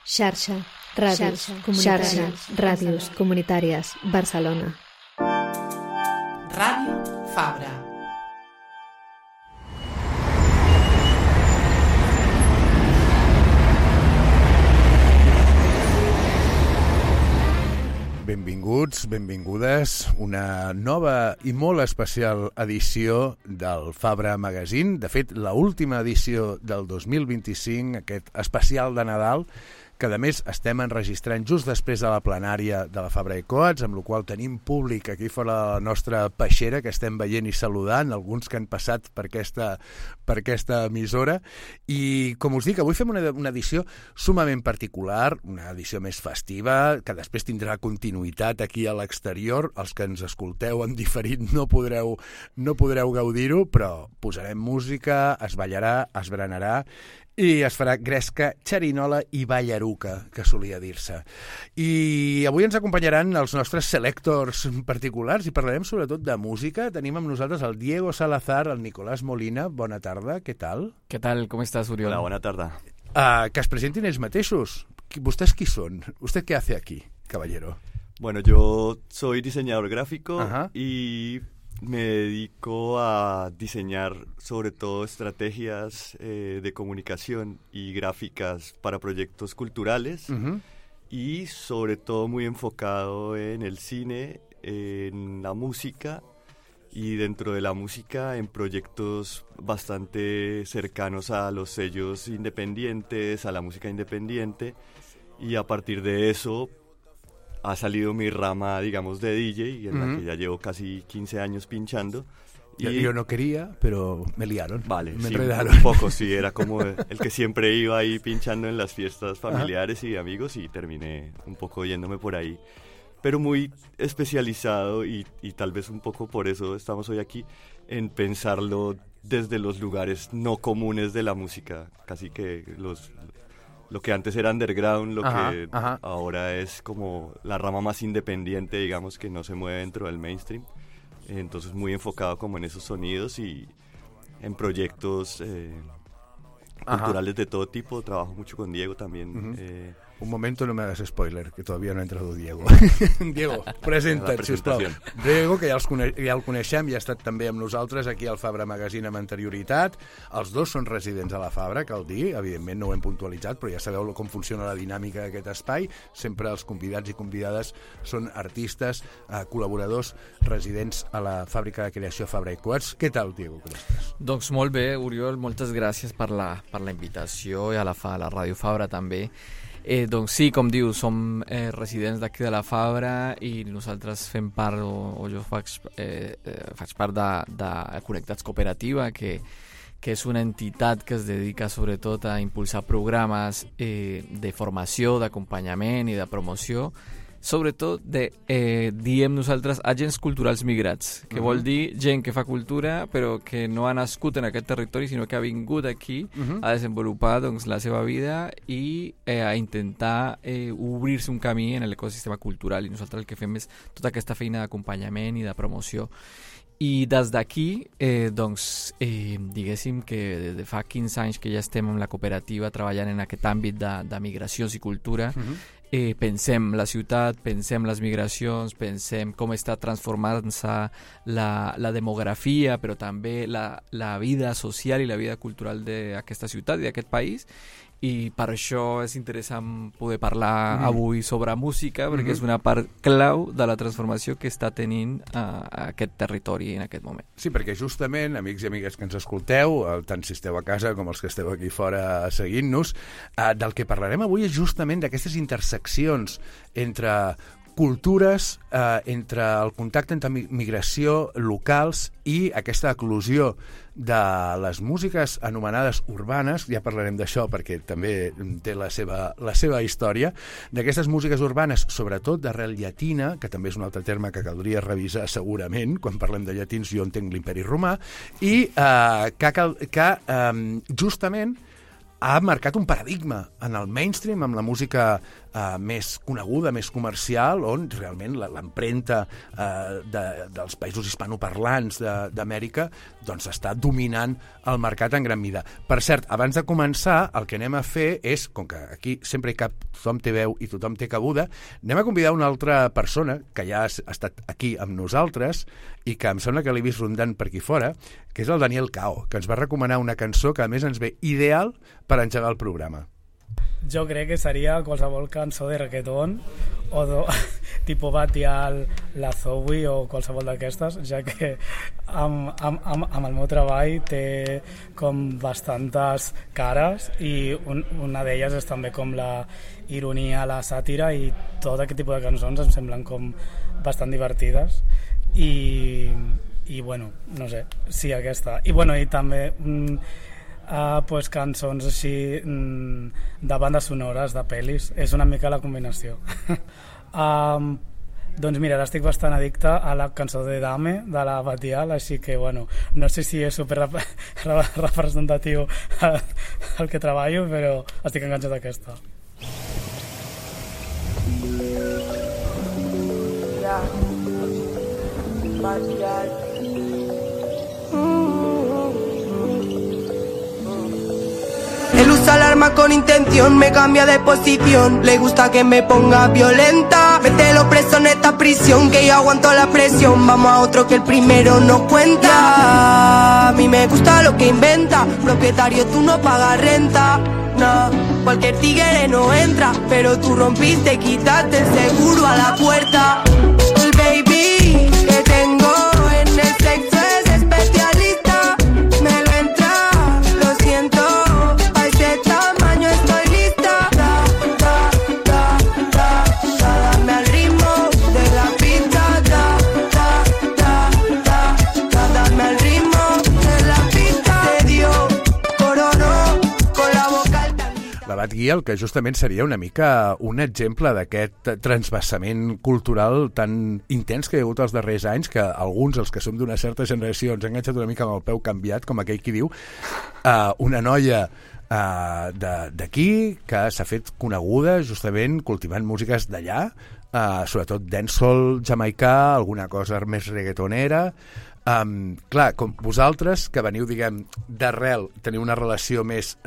Xarxa, ràdios comunitàries, Barcelona. Ràdio Fabra. Benvinguts, benvingudes, una nova i molt especial edició del Fabra Magazine. De fet, l'última edició del 2025, aquest especial de Nadal, que a més estem enregistrant just després de la plenària de la Fabra i Coats, amb la qual tenim públic aquí fora de la nostra peixera, que estem veient i saludant, alguns que han passat per aquesta emissora. I, com us dic, avui fem una edició sumament particular, una edició més festiva, que després tindrà continuïtat aquí a l'exterior. Els que ens escolteu en diferit no podreu gaudir-ho, però posarem música, es ballarà, es berenarà, i es farà gresca, xerinola i ballaruca, que solia dir-se. I avui ens acompanyaran els nostres selectors particulars i parlarem sobretot de música. Tenim amb nosaltres el Diego Salazar, el Nicolás Molina. Bona tarda, què tal? Què tal, com estàs, Oriol? Hola, bona tarda. Que es presentin ells mateixos. ¿Vostès qui són? ¿Usted qué hace aquí, caballero? Bueno, yo soy diseñador gráfico. Ajá. Y me dedico a diseñar sobre todo estrategias de comunicación y gráficas para proyectos culturales. Uh-huh. Y sobre todo muy enfocado en el cine, en la música y dentro de la música en proyectos bastante cercanos a los sellos independientes, a la música independiente, y a partir de eso ha salido mi rama, digamos, de DJ, en la que ya llevo casi 15 años pinchando. Y yo no quería, pero me liaron. Vale, me sí, enredaron. un poco, sí, era como el que siempre iba ahí pinchando en las fiestas familiares y amigos, y terminé un poco yéndome por ahí. Pero muy especializado y tal vez un poco por eso estamos hoy aquí, en pensarlo desde los lugares no comunes de la música, casi que lo que antes era underground, lo que ahora es como la rama más independiente, digamos, que no se mueve dentro del mainstream. Entonces muy enfocado como en esos sonidos y en proyectos culturales de todo tipo. Trabajo mucho con Diego también. Un momento, no me hagas spoiler, que todavía no ha entrado Diego. Diego, presenta't, sisplau. Diego, que ja el coneixem, ja ha estat també amb nosaltres aquí al Fabra Magazine amb anterioritat. Els dos són residents a la Fabra, cal dir, evidentment no ho hem puntualitzat, però ja sabeu com funciona la dinàmica d'aquest espai. Sempre els convidats i convidades són artistes, col·laboradors, residents a la fàbrica de creació Fabra i Coats. Què tal, Diego, com estàs? Doncs molt bé, Oriol, moltes gràcies per la invitació i a la Ràdio Fabra també. Doncs sí, com dius, som residents d'aquí de la Fabra i nosaltres fem part, o jo faig part de Connectats Cooperativa, que és una entitat que es dedica sobretot a impulsar programes de formació, d'acompanyament i de promoció, sobretot diem nosaltres agents culturals migrats, que vol dir gent que fa cultura però que no ha nascut en aquest territori sinó que ha vingut aquí a desenvolupar doncs, la seva vida i a intentar obrir-se un camí en l'ecosistema cultural, i nosaltres el que fem és tota aquesta feina d'acompanyament i de promoció. I des d'aquí, diguéssim que des de fa 15 anys que ja estem en la cooperativa treballant en aquest àmbit de migracions i cultura, pensem la ciutat, pensem les migracions, pensem com està transformant-se la demografia, però també la vida social i la vida cultural d'aquesta ciutat i d'aquest país. I per això és interessant poder parlar avui sobre música, perquè és una part clau de la transformació que està tenint aquest territori en aquest moment. Sí, perquè justament, amics i amigues que ens escolteu, tant si esteu a casa com els que esteu aquí fora seguint-nos, del que parlarem avui és justament d'aquestes interseccions entre cultures, entre el contacte entre migració, locals i aquesta eclosió de les músiques anomenades urbanes. Ja parlarem d'això perquè també té la seva història, d'aquestes músiques urbanes, sobretot d'arrel llatina, que també és un altre terme que caldria revisar segurament, quan parlem de llatins jo entenc l'imperi romà, i que justament ha marcat un paradigma en el mainstream, amb la música més coneguda, més comercial, on realment l'empremta dels països hispanoparlants d'Amèrica doncs està dominant el mercat en gran mida. Per cert, abans de començar, el que anem a fer és, com que aquí sempre hi cap, tothom té veu i tothom té cabuda, anem a convidar una altra persona que ja ha estat aquí amb nosaltres i que em sembla que l'he vist rondant per aquí fora, que és el Daniel Cao, que ens va recomanar una cançó que a més ens ve ideal per engegar el programa. Jo crec que seria qualsevol cançó de reggaeton o tipus Batial, la Zoe o qualsevol d'aquestes, ja que amb el meu treball té com bastantes cares i una d'elles és també com la ironia, la sàtira, i tot aquest tipus de cançons em semblen com bastant divertides i bueno, no sé, sí, aquesta. I bueno, i també pues cançons així de bandes sonores, de pel·lis, és una mica la combinació. Doncs mira, ara estic bastant addicte a la cançó de Dame, de la Batial, així que bueno, no sé si és super representatiu el que treballo, però estic enganxat d'aquesta. Batial. Él usa el arma con intención, me cambia de posición. Le gusta que me ponga violenta. Mételo preso en esta prisión, que yo aguanto la presión. Vamos a otro que el primero no cuenta. A mí me gusta lo que inventa. Propietario, tú no pagas renta. No, cualquier tigre no entra. Pero tú rompiste, quitaste el seguro a la puerta. El baby que tengo en el sexo es especialista. Me lo entra, lo siento. Dame al ritmo de la pista, dame al ritmo de la pista. Te dio coronó con la boca alta. La Batguial, que justament seria una mica un exemple d'aquest transvasament cultural tan intens que hi ha hagut els darrers anys, que alguns, els que som d'una certa generació, ens han enganxat una mica amb el peu canviat, com aquell qui diu, una noia d'aquí que s'ha fet coneguda justament cultivant músiques d'allà, sobretot dancehall jamaicà, alguna cosa més reggaetonera. Clar, com vosaltres que veniu, diguem, d'arrel, teniu una relació més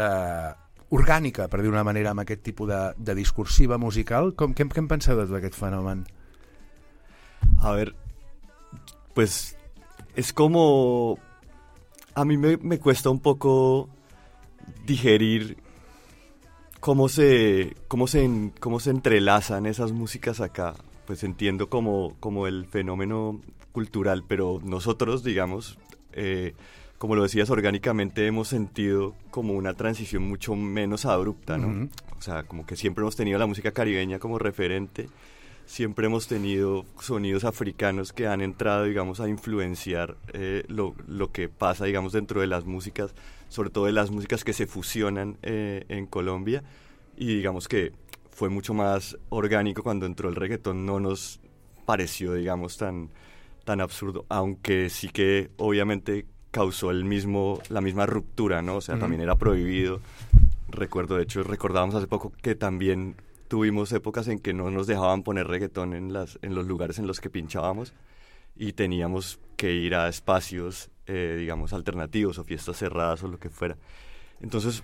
orgànica, per dir una manera, amb aquest tipus de discursiva musical, què en penseu de tot aquest fenomen? A ver, pues es como a mí me cuesta un poco digerir cómo se entrelazan esas músicas acá. Pues entiendo como el fenómeno cultural, pero nosotros, digamos, como lo decías, orgánicamente hemos sentido como una transición mucho menos abrupta, ¿no? Uh-huh. O sea, como que siempre hemos tenido la música caribeña como referente, siempre hemos tenido sonidos africanos que han entrado, digamos, a influenciar lo que pasa, digamos, dentro de las músicas, sobre todo de las músicas que se fusionan en Colombia, y digamos que fue mucho más orgánico cuando entró el reggaetón, no nos pareció, digamos, tan absurdo, aunque sí que obviamente causó la misma ruptura, ¿no? O sea, también era prohibido. Recuerdo, de hecho, recordábamos hace poco que también tuvimos épocas en que no nos dejaban poner reggaetón en los lugares en los que pinchábamos y teníamos que ir a espacios, digamos, alternativos o fiestas cerradas o lo que fuera. Entonces,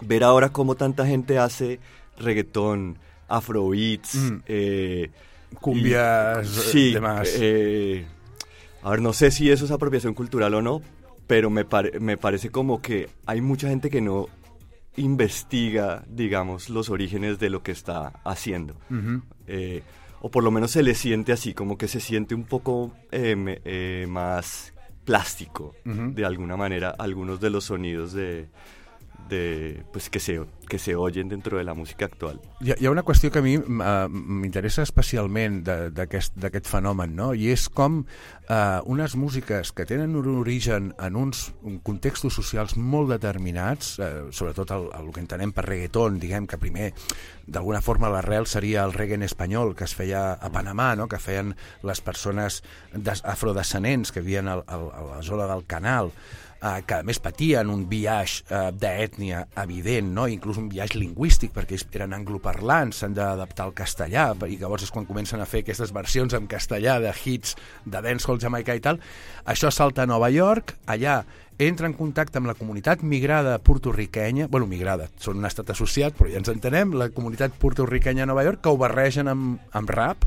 ver ahora cómo tanta gente hace reggaetón, afrobeats, cumbias, sí, demás. A ver, no sé si eso es apropiación cultural o no, pero me parece como que hay mucha gente que no investiga, digamos, los orígenes de lo que está haciendo. Uh-huh. O por lo menos se le siente así, como que se siente un poco más plástico, uh-huh, de alguna manera, algunos de los sonidos pues que se oyen dentro de la música actual. Hi ha una qüestió que a mi m'interessa especialment d'aquest fenomen, no? I és com unes músiques que tenen un origen en uns contextos socials molt determinats, sobretot el que entenem per reggaeton, diguem que primer d'alguna forma l'arrel seria el reggae en espanyol que es feia a Panamà, no? Que feien les persones afrodescendents que vivien a la zona del Canal. que a més patien un biaix d'ètnia evident, no? Inclús un biaix lingüístic, perquè ells eren angloparlants, s'han d'adaptar al castellà, i llavors és quan comencen a fer aquestes versions en castellà de hits de dancehall jamaicà i tal. Això salta a Nova York, allà entra en contacte amb la comunitat migrada porto-riquenya, migrada, són un estat associat, però ja ens entenem, la comunitat porto-riquenya a Nova York, que ho barregen amb rap,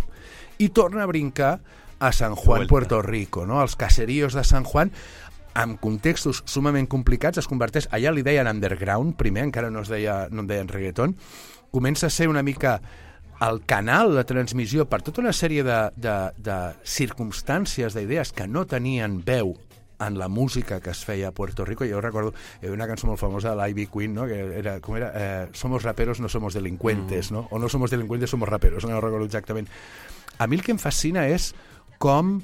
i torna a brincar a San Juan, Puerto Rico, no? Els caseríos de San Juan, amb contextos sumament complicats, es converteix, allà li deien underground, primer, encara no en deien reggaeton, comença a ser una mica el canal de transmissió per tota una sèrie de circumstàncies, d'idees que no tenien veu en la música que es feia a Puerto Rico. Jo recordo una cançó molt famosa de l'Ivy Queen, no? Que era, com era? Somos raperos, no somos delincuentes, no? O no somos delincuentes, somos raperos, no recordo exactament. A mi el que em fascina és com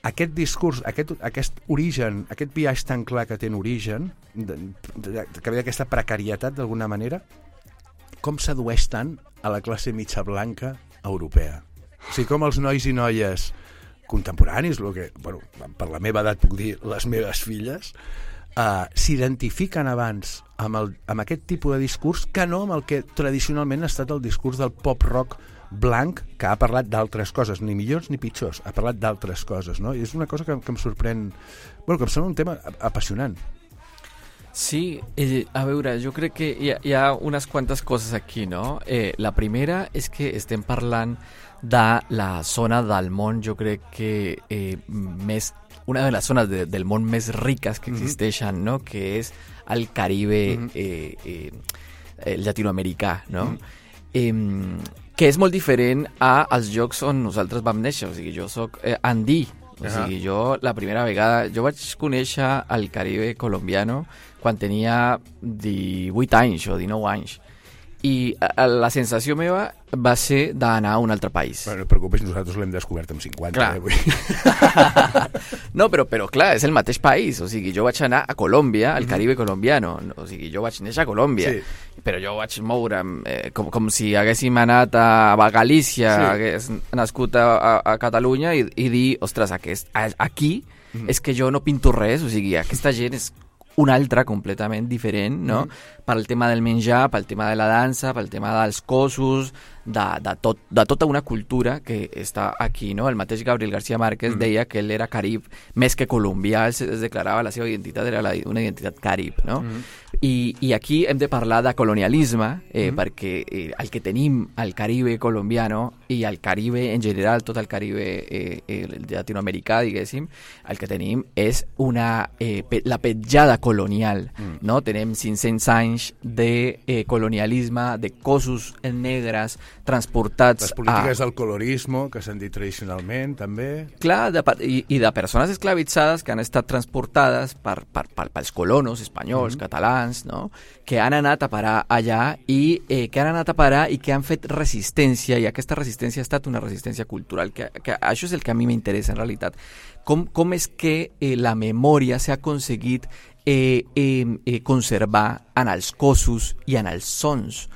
aquest discurs, aquest origen, aquest biaix tan clar que té en origen, que ve d'aquesta precarietat d'alguna manera, com sedueix tant a la classe mitja blanca europea. O sigui, com els nois i noies contemporanis, per la meva edat puc dir les meves filles, s'identifiquen abans amb aquest tipus de discurs que no amb el que tradicionalment ha estat el discurs del pop-rock blanc, que ha parlat d'altres coses, ni millors ni pitjors, ha parlat d'altres coses, no? I és una cosa que em sorprèn, que em sembla un tema apassionant. Sí, a veure, jo crec que hi ha unes quantes coses aquí, no? La primera és que estem parlant de la zona del món, jo crec que una de les zones del món més riques que existeixen, no? Que és el Caribe llatinoamericà, no? Que és molt diferent als llocs on nosaltres vam néixer. O sigui, jo soc andí. O sigui, jo la primera vegada... Jo vaig conèixer el Caribe colombiano quan tenia 18 anys o 19 anys. I la sensació meva va ser d'anar a un altre país. No et preocupis, nosaltres l'hem descobert amb 50. Clar. No, però clar, és el mateix país. O sigui, jo vaig anar a Colòmbia, al Caribe colombiano. O sigui, jo vaig néixer a Colòmbia. Sí. Però jo vaig moure'm com si haguéssim anat a Galícia, hagués nascut a Catalunya i dir, ostres, aquí és que jo no pinto res. O sigui, aquesta gent és una altra completament diferent, no? Pel tema del menjar, pel tema de la dansa, pel tema dels cossos, de tota una cultura que està aquí, no? El mateix Gabriel García Márquez deia que ell era carib més que colombià, es declarava la seva identitat, era una identitat carib, no? I aquí hem de parlar de colonialisme, perquè el que tenim al Caribe colombiano i al Caribe en general, tot el Caribe llatinoamericà, diguéssim, el que tenim és la petjada colonial, no? Tenim 500 anys de colonialisme, de cossos negres transportats... Les polítiques del colorismo, que s'han dit tradicionalment, també... Clar, i de persones esclavitzades que han estat transportades pels colonos espanyols, catalans, no? Que han anat a parar allà i que han fet resistència, i aquesta resistència ha estat una resistència cultural, que això és el que a mi m'interessa en realitat. Com és que la memòria s'ha aconseguit conservar en els cossos i en els sons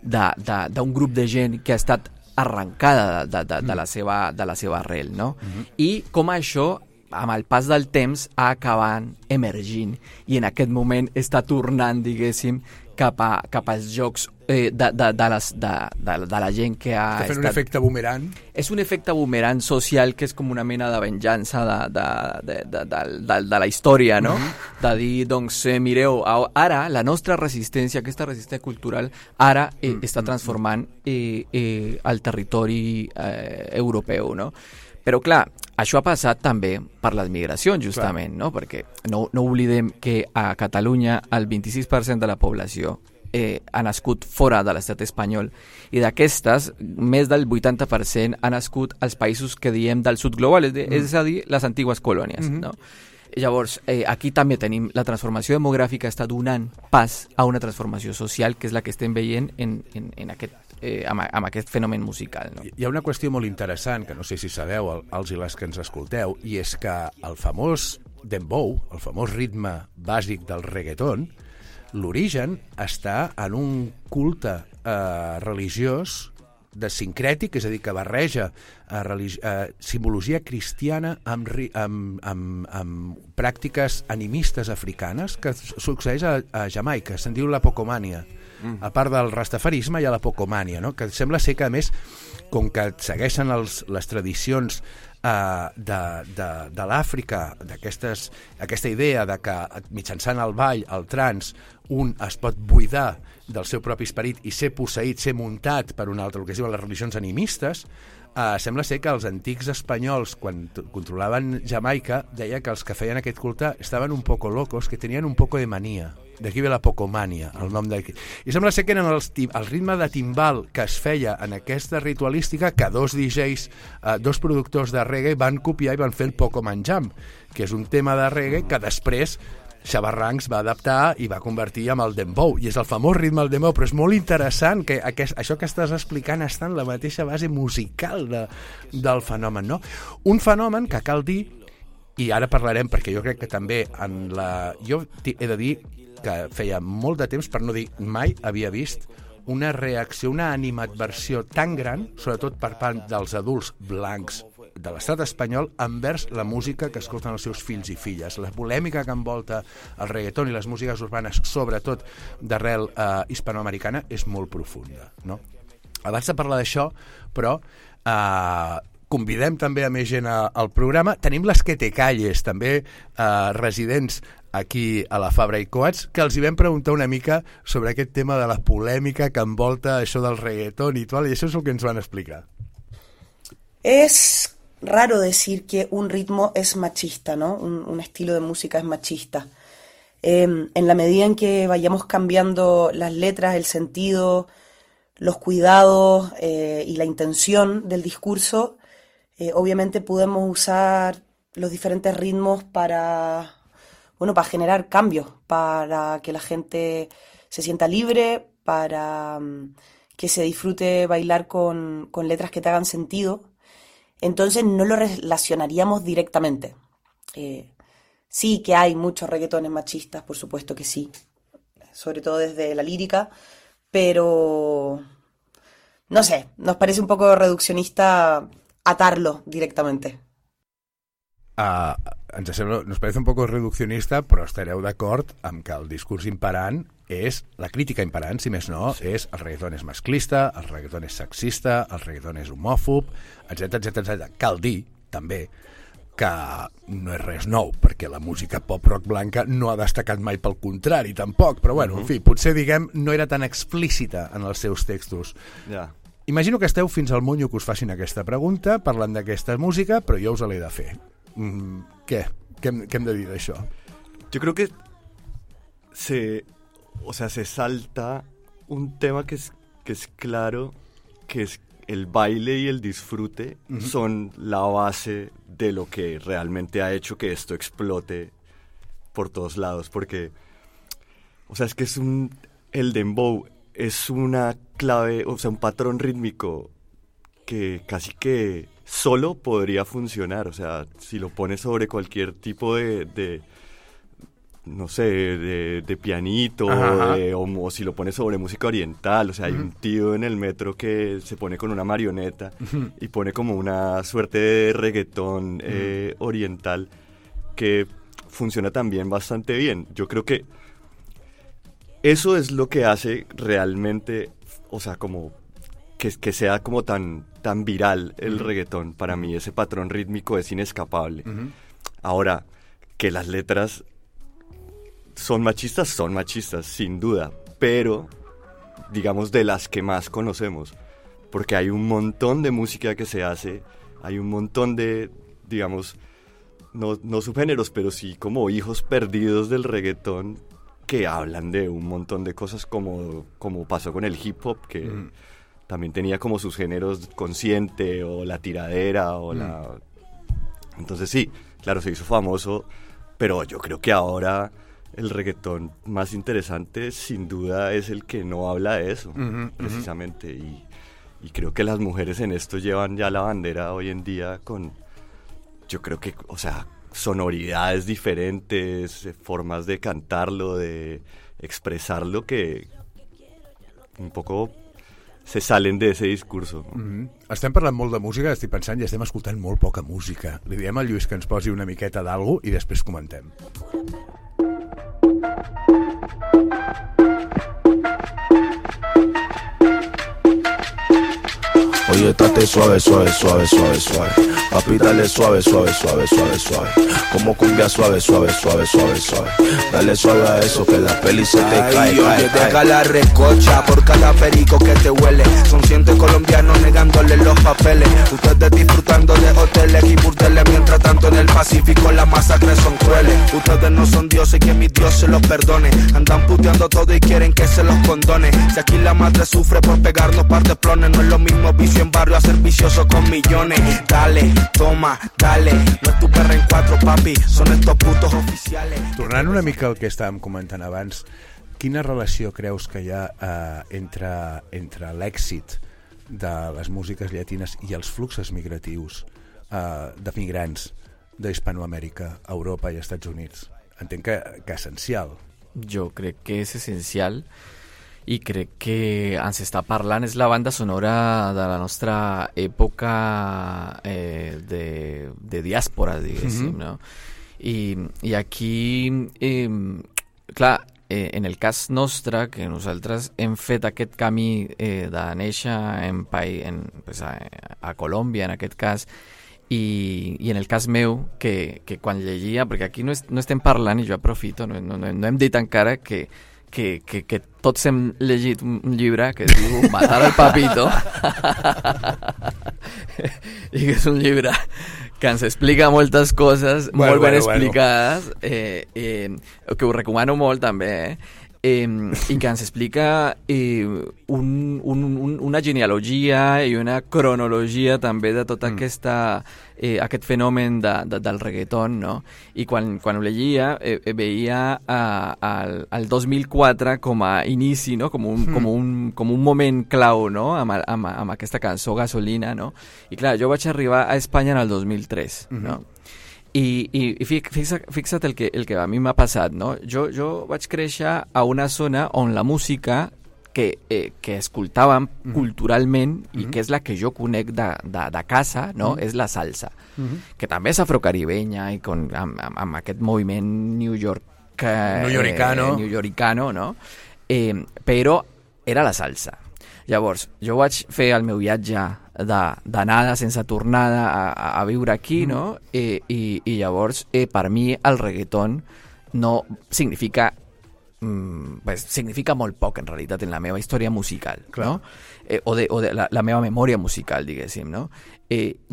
d'un grup de gent que ha estat arrencada de la seva arrel, no? I com això, amb el pas del temps, ha acabat emergint i en aquest moment està tornant, diguéssim, cap als jocs de la gent que ha estat... un efecte boomerang. És un efecte boomerang social que és com una mena de venjança de la història, no? De dir, doncs, mireu, ara la nostra resistència, aquesta resistència cultural, ara està transformant el territori europeu, no? Però, clar, això ha passat també per les migracions, justament, no? Perquè no oblidem que a Catalunya el 26% de la població ha nascut fora de l'estat espanyol i d'aquestes, més del 80% ha nascut als països que diem del sud global, és a dir, les antigues colònies, no? Llavors, aquí també tenim la transformació demogràfica està donant pas a una transformació social que és la que estem veient amb aquest fenomen musical, no? Hi ha una qüestió molt interessant, que no sé si sabeu, els i les que ens escolteu, i és que el famós dembow, el famós ritme bàsic del reggaeton, l'origen està en un culte religiós de sincrètic, és a dir, que barreja simbologia cristiana amb pràctiques animistes africanes, que succeeix a Jamaica, se'n diu la pocomània. A part del rastafarisme hi ha la pocomània, no? Que sembla ser que, a més, com que segueixen les tradicions de l'Àfrica, aquesta idea de que mitjançant el ball, el trans, un es pot buidar del seu propi esperit i ser posseït, ser muntat per un altre, el que es diuen les religions animistes, sembla ser que els antics espanyols, quan controlaven Jamaica, deia que els que feien aquest culte estaven un poco locos, que tenien un poco de mania. D'aquí ve la pocomània, el nom d'aquí. I sembla ser que eren el ritme de timbal que es feia en aquesta ritualística que dos DJs, dos productors de reggae van copiar i van fer el Pocoman Jam, que és un tema de reggae que després Xabarrancs va adaptar i va convertir en el dembow, i és el famós ritme del dembow, però és molt interessant que això que estàs explicant està en la mateixa base musical del fenomen, no? Un fenomen que cal dir, i ara parlarem perquè jo crec que també jo he de dir que feia molt de temps, per no dir mai, havia vist una reacció, una animadversió tan gran, sobretot per part dels adults blancs de l'estat espanyol, envers la música que escolten els seus fills i filles. La polèmica que envolta el reggaeton i les músiques urbanes, sobretot d'arrel hispanoamericana, és molt profunda, no? Abans de parlar d'això, però convidem també a més gent al programa. Tenim les Que Te Calles, també residents aquí a la Fabra i Coats, que els hi vam preguntar una mica sobre aquest tema de la polèmica que envolta això del reggaeton i tal, i això és el que ens van explicar. Es raro decir que un ritmo es machista, ¿no? Un estilo de música es machista. En la medida en que vayamos cambiando las letras, el sentido, los cuidados y la intención del discurso, obviamente podemos usar los diferentes ritmos para generar cambios, para que la gente se sienta libre, para que se disfrute bailar con letras que te hagan sentido. Entonces no lo relacionaríamos directamente. Sí que hay muchos reggaetones machistas, por supuesto que sí, sobre todo desde la lírica, pero no sé, nos parece un poco reduccionista atarlo directamente. Nos parece un poco reduccionista, però estareu d'acord amb que el discurs imperant és, la crítica imperant, si més no, és el reggaeton és masclista, el reggaeton és sexista, el reggaeton és homòfob, etc. Cal dir, també, que no és res nou, perquè la música pop-rock blanca no ha destacat mai, pel contrari, tampoc, però bueno, en fi, potser, diguem, no era tan explícita en els seus textos. Ja. Imagino que esteu fins al monyo que us facin aquesta pregunta, parlant d'aquesta música, però jo us l'he de fer. ¿Qué hem de dir d'això? Yo creo que se salta un tema que es claro, que es el baile y el disfrute son la base de lo que realmente ha hecho que esto explote por todos lados, porque es que el dembow es una clave, un patrón rítmico que casi que solo podría funcionar, si lo pones sobre cualquier tipo de pianito, o si lo pones sobre música oriental, hay un tío en el metro que se pone con una marioneta y pone como una suerte de reggaetón oriental que funciona también bastante bien. Yo creo que eso es lo que hace realmente, como que sea como tan viral el reggaetón. Para mí ese patrón rítmico es inescapable. Ahora, que las letras son machistas, sin duda, pero digamos de las que más conocemos, porque hay un montón de música que se hace, hay un montón de, digamos, no subgéneros, pero sí como hijos perdidos del reggaetón que hablan de un montón de cosas como pasó con el hip hop, que también tenía como sus géneros consciente o la tiradera o la... Entonces sí, claro, se hizo famoso, pero yo creo que ahora el reggaetón más interesante sin duda es el que no habla de eso, precisamente, y creo que las mujeres en esto llevan ya la bandera hoy en día con, yo creo que, sonoridades diferentes, formas de cantarlo, de expresarlo que un poco se salen de ese discurso. Estem parlant molt de música, estic pensant, i estem escoltant molt poca música. Li diem al Lluís que ens posi una miqueta d'algo i després comentem. Oye, estate suave, suave, suave, suave, suave. Papi, dale suave, suave, suave, suave, suave. Como cumbia suave, suave, suave, suave, suave. Dale suave a eso que la peli se te cae, oye, deja la recocha por cada perico que te huele. Son cientos colombianos negándole los papeles. Ustedes disfrutando de hoteles y burdeles. Mientras tanto en el Pacífico las masacres son crueles. Ustedes no son dioses, que mi Dios se los perdone. Andan puteando todo y quieren que se los condone. Si aquí la madre sufre por pegarnos par de plones, no es lo mismo vicio en barrio a ser vicioso con millones. Dale, toma, dale. No es tu perra en cuatro, papi, son estos putos oficiales. Tornant una mica al que estàvem comentant abans, quina relació creus que hi ha entre l'èxit de les músiques llatines i els fluxos migratius de migrants d'Hispanoamèrica, Europa i Estats Units? Entenc que essencial. Jo crec que és essencial i crec que ens està parlant, és la banda sonora de la nostra època de diàspora, diguéssim, no? I aquí, clar, en el cas nostre, que nosaltres hem fet aquest camí de néixer a Colòmbia, en aquest cas, i en el cas meu, que quan llegia, perquè aquí no estem parlant, i jo aprofito, no hem dit encara que tots hem llegit un llibre que es diu Matar al Papito i que és un llibre que ens explica moltes coses molt ben explicades, que ho recomano molt també, i que ens explica una genealogia i una cronologia també de tot aquest fenomen del reggaeton, no? I quan ho llegia veia el 2004 com a inici, no? Com un moment clau, no? Amb aquesta cançó Gasolina, no? I clar, jo vaig arribar a Espanya en el 2003, no? I fixa't el que a mi m'ha passat, no? Jo vaig créixer a una zona on la música que escoltàvem culturalment i que és la que jo conec de casa, no? És la salsa, que també és afrocaribenya i amb aquest moviment newyoricano, no? Però era la salsa. Llavors, jo vaig fer el meu viatge d'anada sense tornada a viure aquí, no? I llavors, per mi, el reggaeton no significa molt poc, en realitat, en la meva història musical, no? O de la meva memòria musical, diguéssim, no?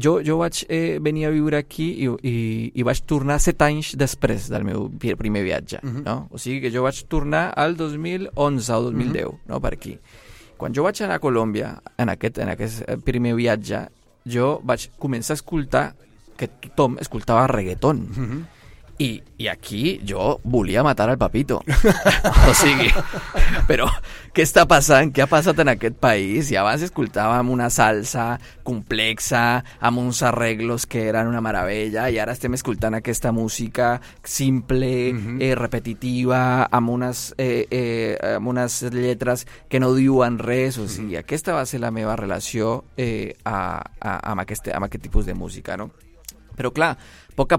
Jo vaig venir a viure aquí i vaig tornar 7 anys després del meu primer viatge, no? O sigui que jo vaig tornar al 2011 o 2010, no? Per aquí. Quan jo vaig anar a Colòmbia, en aquest primer viatge, jo vaig començar a escoltar que tothom escoltava reggaeton. I aquí jo volia matar al Papito. O sigui, però què està passant? Què ha passat en aquest país? I abans escoltàvem una salsa complexa, amb uns arreglos que eren una meravella, i ara estem escoltant aquesta música simple, repetitiva, amb unes lletres que no diuen res. O sigui, aquesta va ser la meva relació amb aquest tipus de música, no? Però clar, a poc a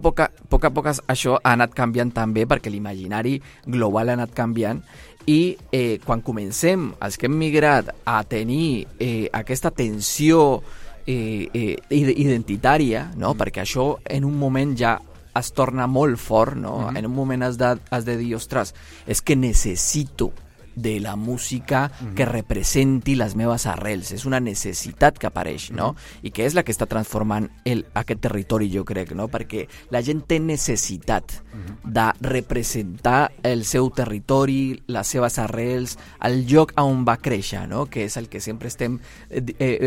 poc això ha anat canviant també, perquè l'imaginari global ha anat canviant, i quan comencem, els que hem migrat, a tenir aquesta tensió identitària, no? Perquè això en un moment ja es torna molt fort, no? En un moment has de dir, ostres, és que necessito de la música que representi les meves arrels. És una necessitat que apareix, no? I que és la que està transformant aquest territori, jo crec, no? Perquè la gent té necessitat de representar el seu territori, les seves arrels, el lloc on va créixer, no? Que és el que sempre estem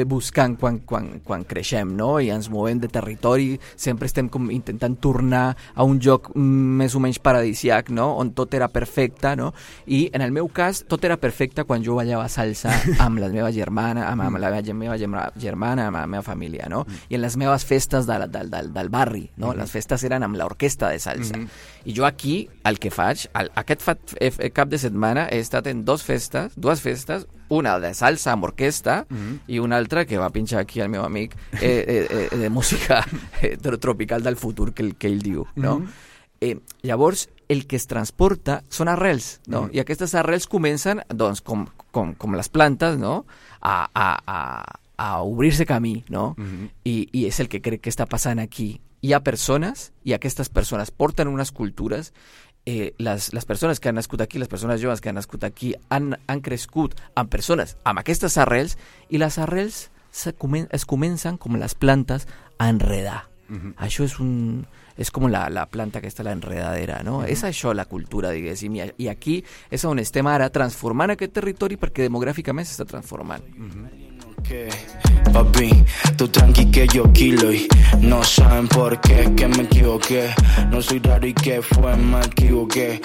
buscant quan creixem, no? I ens movem de territori, sempre estem intentant tornar a un lloc més o menys paradisiac, no? On tot era perfecte, no? I en el meu cas, aleshores tot era perfecte quan jo ballava salsa amb la meva germana, amb la meva germana, amb la meva família, no? I en les meves festes del barri, no? Les festes eren amb l'orquestra de salsa. I jo aquí, el que faig, aquest cap de setmana he estat en dues festes, una de salsa amb orquestra i una altra que va pinxar aquí el meu amic de música tropical del futur que ell diu, no? Llavors, el que es transporta són arrels, no? I aquestes arrels comencen, doncs, com les plantes, no? A obrir-se camí, no? I és el que crec que està passant aquí. Hi ha persones, i aquestes persones porten unes cultures. Les persones que han nascut aquí, les persones joves que han nascut aquí, han crescut amb persones amb aquestes arrels, i les arrels es comencen, com les plantes, a enredar. Això és com la planta que està a l'enredadera, no? És això la cultura, diguéssim, i aquí és on estem ara transformant aquest territori perquè demogràficament s'està transformant. Papi, tú tranqui que yo kilo y no saben por qué, que me equivoqué, no soy raro y que fue, me equivoqué.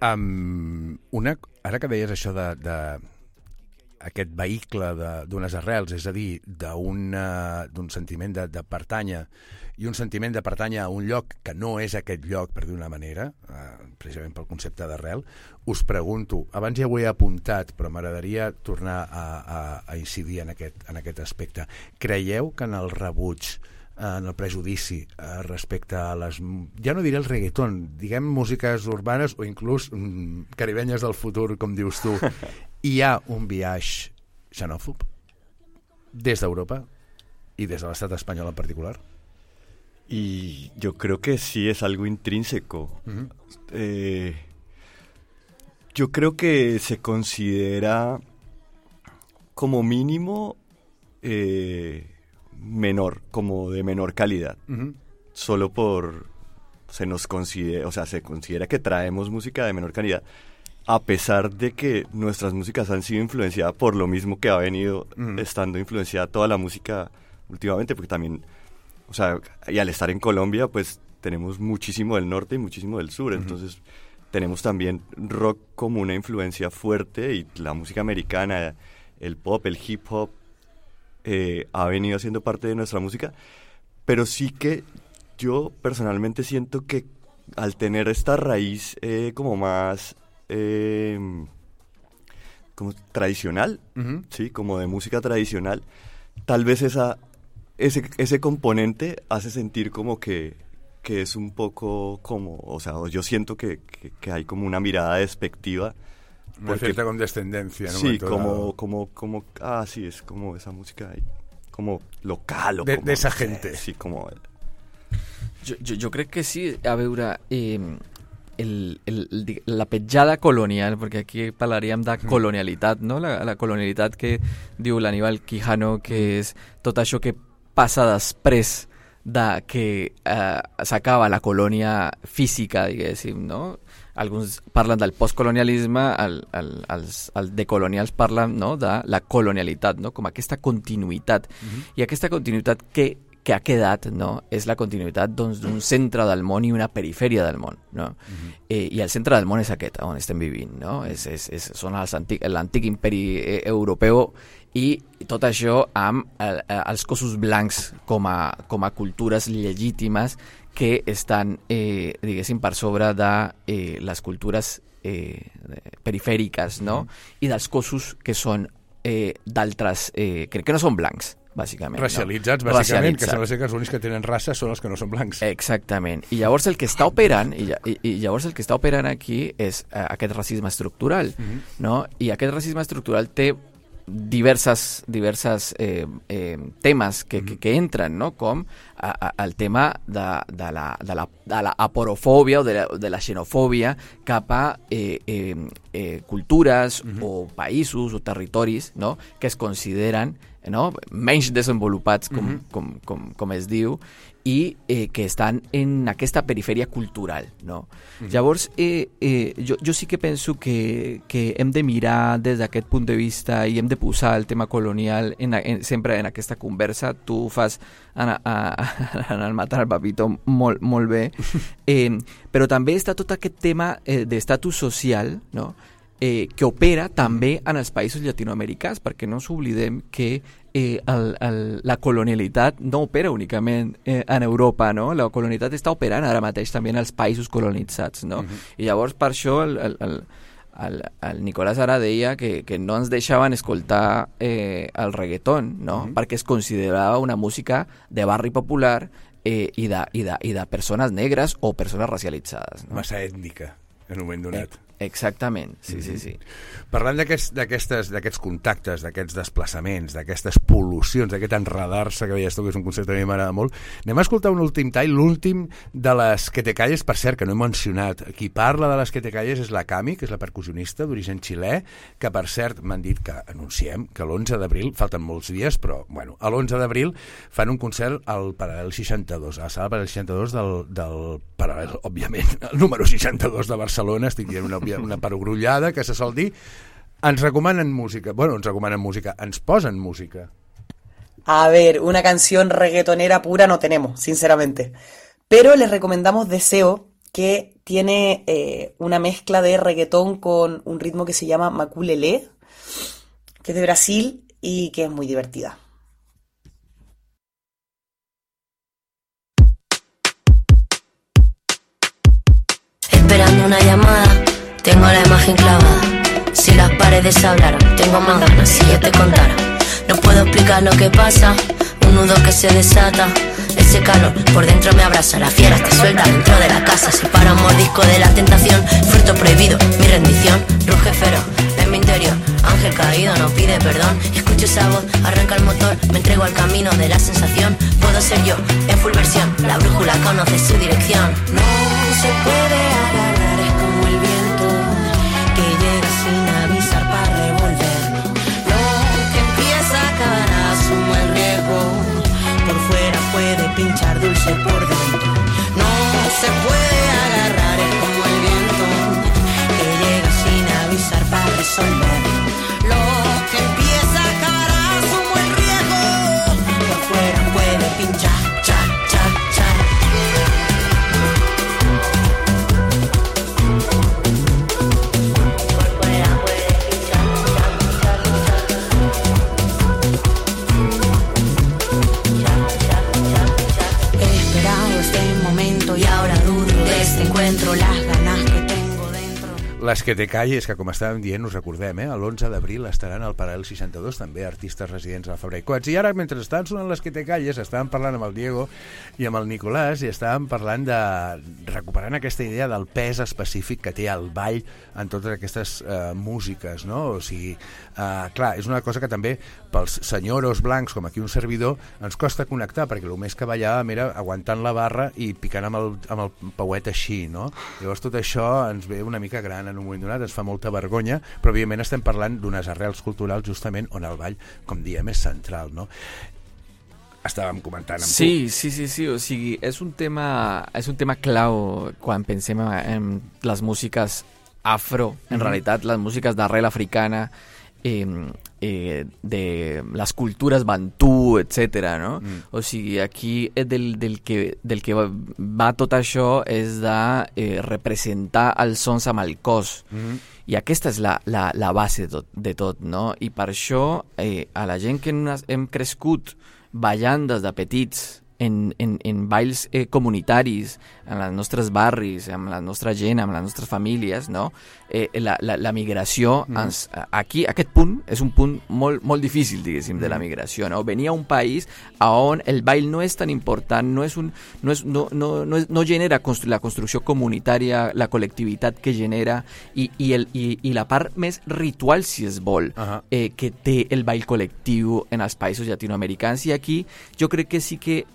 Ara que deies això de aquest vehicle d'unes arrels, és a dir, d'un sentiment de pertànyer, i un sentiment de pertànyer a un lloc que no és aquest lloc, per dir una manera, precisament pel concepte d'arrel, us pregunto, abans ja ho he apuntat, però m'agradaria tornar a incidir en aquest aspecte. Creieu que en el rebuig, en el prejudici respecte a les, ja no diré el reggaeton, diguem músiques urbanes o inclús caribenyes del futur, com dius tu, hi ha un biaix xenòfob des d'Europa y desde el Estado español en particular? Y yo creo que sí es algo intrínseco. Yo creo que se considera como mínimo menor, como de menor calidad. Solo se considera que traemos música de menor calidad, a pesar de que nuestras músicas han sido influenciadas por lo mismo que ha venido estando influenciada toda la música últimamente, porque también, o sea, y al estar en Colombia, pues tenemos muchísimo del norte y muchísimo del sur, entonces tenemos también rock como una influencia fuerte, y la música americana, el pop, el hip hop, ha venido siendo parte de nuestra música, pero sí que yo personalmente siento que al tener esta raíz como más como tradicional, ¿sí? Como de música tradicional, tal vez ese componente hace sentir como que es un poco como, o sea, yo siento que hay como una mirada despectiva. Una cierta condescendencia, ¿no? Sí, como sí, es como esa música ahí, como local. O de como, esa gente. Sí, como... Jo crec que sí, a veure, la petjada colonial, perquè aquí parlaríem de colonialitat, no? La colonialitat que diu l'Aníbal Quijano, que és tot això que passa després de que s'acaba la colònia física, diguéssim, no? Alguns parlen del postcolonialisme, els decolonials parlen, no, de la colonialitat, no? Com aquesta continuïtat. I aquesta continuïtat que ha quedat, no, és la continuïtat d'un centre del món i una perifèria del món, no? I el centre del món és aquest on estem vivint, no? Són l'antic imperi europeu, i tot això amb els cossos blancs com a cultures legítimes que estan, diguéssim, per sobre de les cultures perifèriques, no? I dels cossos que són d'altres, crec que no són blancs, bàsicament. Racialitzats, no? Bàsicament, que sembla ser que els únics que tenen raça són els que no són blancs. Exactament. I llavors el que està operant, aquí és aquest racisme estructural, no? I aquest racisme estructural té diverses temes que entren, no? Com el tema de la aporofòbia o de la xenofòbia cap a cultures o països o territoris, no? Que es consideren, no? Menys desenvolupats, com es diu, i que estan en aquesta perifèria cultural, no? Llavors, jo sí que penso que hem de mirar des d'aquest punt de vista i hem de posar el tema colonial sempre en aquesta conversa. Tu fas en el Matar al Papito molt bé, però també està tot aquest tema d'estatus social, no? que opera també en els països llatinoamericans, perquè no ens oblidem que la colonialitat no opera únicament en Europa, no? La colonialitat està operant ara mateix també en els països colonitzats, no? I llavors per això el Nicolás ara deia que no ens deixaven escoltar el reggaeton, no? Perquè es considerava una música de barri popular i de persones negres o persones racialitzades, no? Massa ètnica, en un moment donat. Exactament, sí. Parlant d'aquests contactes, d'aquests desplaçaments, d'aquestes pol·lucions, d'aquest enredar-se que deies tu, que és un concepte que a mi m'agrada molt, anem a escoltar un últim tall, l'últim de les Que te calles, per cert, que no he mencionat. Qui parla de les Que te calles és la Cami, que és la percussionista d'origen xilè, que per cert m'han dit que anunciem que l'11 d'abril, falten molts dies, però bueno, l'11 d'abril fan un concert al Paral·lel 62, a la sala Paral·lel 62 del Paral·lel, òbviament, el número 62 de Barcelona, estic dient una perogrullada que se sol dir. Ens recomanen música, ens posen música. A ver, una canción reggaetonera pura no tenemos, sinceramente. Pero les recomendamos Deseo, que tiene una mezcla de reggaetón con un ritmo que se llama Maculelé, que es de Brasil y que es muy divertida. Esperando una llamada, tengo la imagen clavada. Si las paredes hablaran, tengo más ganas si yo te contara. No puedo explicar lo que pasa, un nudo que se desata. Ese calor por dentro me abraza, la fiera está suelta dentro de la casa. Si para un mordisco de la tentación, fruto prohibido, mi rendición. Ruge feroz en mi interior, ángel caído no pide perdón. Escucho esa voz, arranca el motor, me entrego al camino de la sensación. Puedo ser yo, en full versión, la brújula conoce su dirección. No se puede agarrar, es como el viento que llega sin avisar para revolverlo. Lo que empieza a acabar asumo el riesgo. Por fuera puede pinchar dulce por dentro. No se puede agarrar, es como el viento que llega sin avisar para resolverlo. Lo que empieza a acabar asumo el riesgo. Por fuera puede pinchar, cha, cha, cha. Y ahora dudo de este encuentro, las ganas que tengo dentro. Les Que te calles, que com estàvem dient, us recordem, l'11 d'abril estaran al Paral·lel 62, també artistes residents a la Fabra i Coats. I ara, mentre estan sonant Les Que te calles, estàvem parlant amb el Diego i amb el Nicolás i estàvem parlant de recuperant aquesta idea del pes específic que té el ball en totes aquestes músiques, no? O sigui, clar, és una cosa que també pels senyoros blancs, com aquí un servidor, ens costa connectar, perquè el més que ballàvem era aguantant la barra i picant amb el pauet així, no? Llavors tot això ens ve una mica gran en un moment donat, ens fa molta vergonya, però evidentment estem parlant d'unes arrels culturals justament on el ball, com diem, és central, no? Estàvem comentant amb tu. Sí, o sigui, és un tema clau quan pensem en les músiques afro, en realitat les músiques d'arrel africana, de les cultures bantú, etc. No? O sigui, aquí del que va tot això és de representar els sons amb el cos. I aquesta és la base de tot, no? I per això a la gent que hem crescut ballant des de petits en balls comunitaris, en els nostres barris, amb la nostra gent, amb les nostres famílies, no? La migració, aquí, aquest punt, és un punt molt, molt difícil, diguéssim, de la migració, no? Venir a un país on el ball no és tan important, no genera la construcció comunitària, la col·lectivitat que genera, i la part més ritual, si es vol, que té el ball col·lectiu en els països llatinoamericans. I aquí jo crec que sí que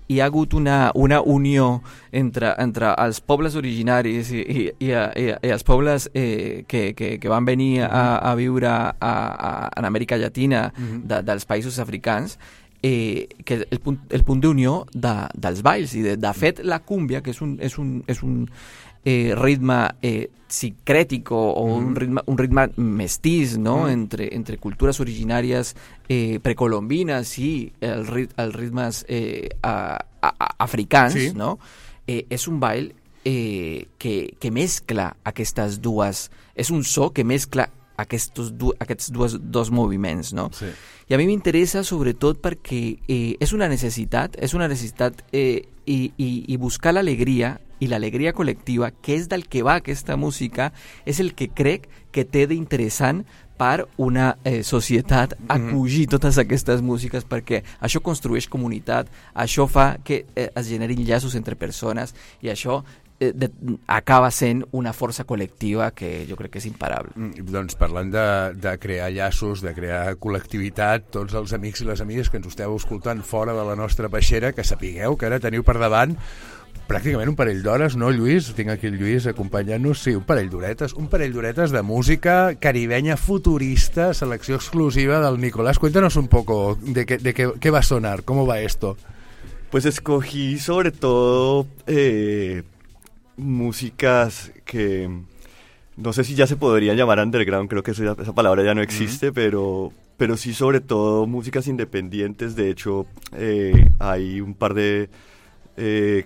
hi ha hagut una unió entre els pobles originaris i els pobles que van venir a viure en Amèrica Llatina dels països africans, que el punt d'unió dels balls. I de fet la cúmbia, que és un ritme sincrètic o un ritme mestís, no? entre cultures originàries precolombines i els ritmes africans, no? És un ball que mescla aquestes dues... És un so que mescla aquests dos moviments, no? Sí. I a mi m'interessa sobretot perquè és una necessitat i buscar l'alegria i l'alegria col·lectiva, que és del que va aquesta música, és el que crec que té d'interessant per una societat acollir totes aquestes músiques, perquè això construeix comunitat, això fa que es generin llaços entre persones i això acaba sent una força col·lectiva que jo crec que és imparable. Doncs parlant de crear llaços, de crear col·lectivitat, tots els amics i les amigues que ens esteu escoltant fora de la nostra peixera, que sapigueu que ara teniu per davant pràcticament un parell d'hores, no, Lluís? Tinc aquí el Lluís acompanyant-nos. Sí, un parell d'horetes de música caribenya futurista, selecció exclusiva del Nicolás. Cuéntanos un poco de qué va a sonar, cómo va esto. Pues escogí sobre todo músicas que no sé si ya se podrían llamar underground, creo que esa palabra ya no existe, pero sí sobre todo músicas independientes. De hecho, hay un par de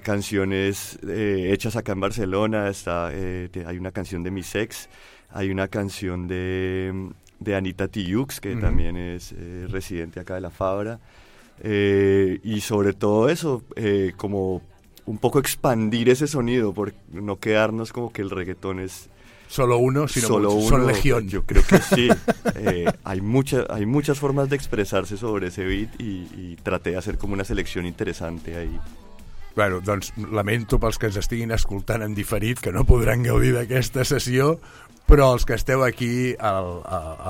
canciones hechas acá en Barcelona. Hay una canción de Mis Ex, hay una canción de Anita Tijoux, que también es residente acá de la Fabra, y sobre todo eso, como un poco expandir ese sonido, por no quedarnos como que el reggaetón es solo uno, sino son legión. Yo creo que sí. Hay muchas formas de expresarse sobre ese beat y traté de hacer como una selección interesante ahí. Bueno, doncs lamento pels que ens estiguin escoltant en diferit que no podran gaudir d'aquesta sessió, però els que esteu aquí a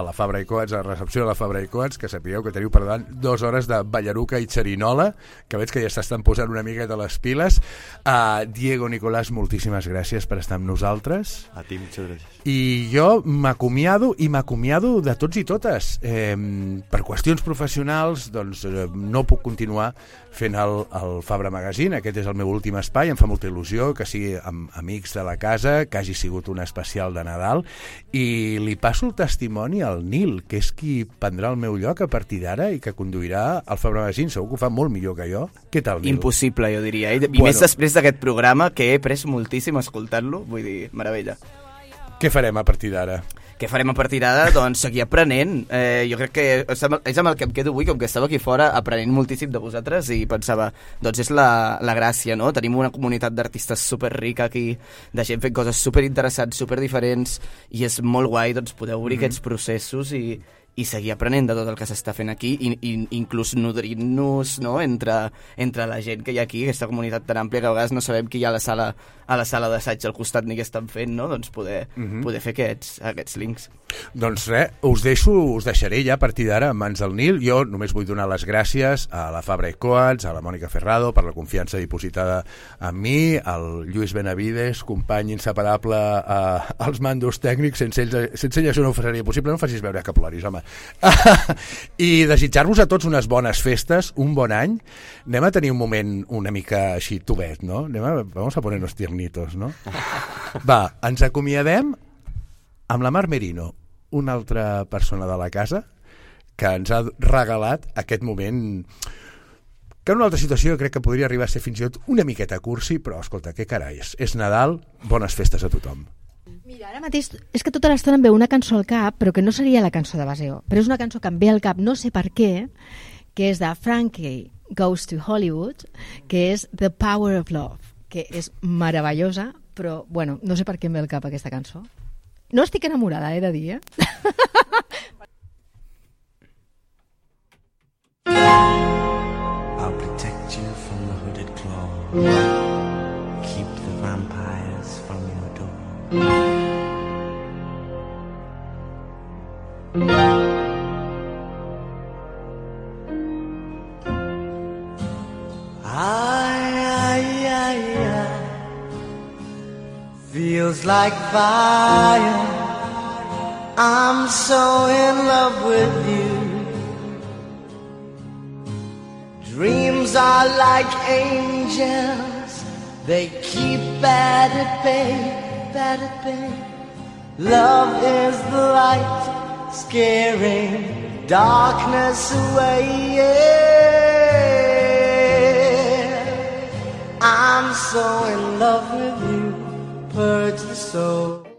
la Fabra i Coats, a la recepció de la Fabra i Coats, que sapigueu que teniu per davant 2 hores de ballaruca i xerinola, que veig que ja s'estan posant una miqueta les piles. Diego, Nicolás, moltíssimes gràcies per estar amb nosaltres. A ti, muchas gràcies. I jo m'acomiado de tots i totes. Per qüestions professionals, doncs no puc continuar fent el Fabra Magazine. Aquest és el meu últim espai, em fa molta il·lusió que sigui amb amics de la casa, que hagi sigut un especial de Nadal, i li passo el testimoni al Nil, que és qui prendrà el meu lloc a partir d'ara i que conduirà el Fabra Magazine. Segur que ho fa molt millor que jo. Què tal, Nil? Impossible, jo diria. I més després d'aquest programa, que he après moltíssim escoltant-lo, vull dir, meravella. Què farem a partir d'ara? Què farem a partir d'ara? Doncs seguir aprenent. Jo crec que és amb el que em quedo avui, com que estava aquí fora aprenent moltíssim de vosaltres i pensava, doncs és la gràcia, no? Tenim una comunitat d'artistes superrica aquí, de gent fent coses superinteressants, superdiferents, i és molt guai doncs, poder obrir aquests processos i seguir aprenent de tot el que s'està fent aquí i inclús nodrint-nos, no? entre la gent que hi ha aquí, aquesta comunitat tan àmplia que a vegades no sabem qui hi ha a la sala d'assaig al costat ni què estan fent, no? Doncs poder fer aquests links. Doncs res, us deixaré ja a partir d'ara en mans del Nil. Jo només vull donar les gràcies a la Fabra i Coats, a la Mònica Ferrado per la confiança dipositada en mi, al Lluís Benavides, company inseparable als mandos tècnics. Sense ell això no ho seria possible. No facis veure que ploris, home. I desitjar-vos a tots unes bones festes, un bon any. Anem a tenir un moment una mica així tubet, no? Vamos a ponernos tiernitos, no? Va, ens acomiadem amb la Mar Merino, una altra persona de la casa que ens ha regalat aquest moment que en una altra situació crec que podria arribar a ser fins i tot una miqueta cursi, però escolta, què carai, és Nadal, bones festes a tothom. Mira, ara mateix és que tota l'estona em ve una cançó al cap, però que no seria la cançó de Baseo, però és una cançó que em ve al cap, no sé per què, que és de Frankie Goes to Hollywood, que és The Power of Love, que és meravellosa, però, bueno, no sé per què em ve al cap aquesta cançó. No estic enamorada, he de dir, I'll protect you from the hooded claw, keep the vampires from your door. Feels like fire, I'm so in love with you. Dreams are like angels, they keep bad at bay. Love is the light, scaring darkness away, yeah. I'm so in love with you. Purge the soul.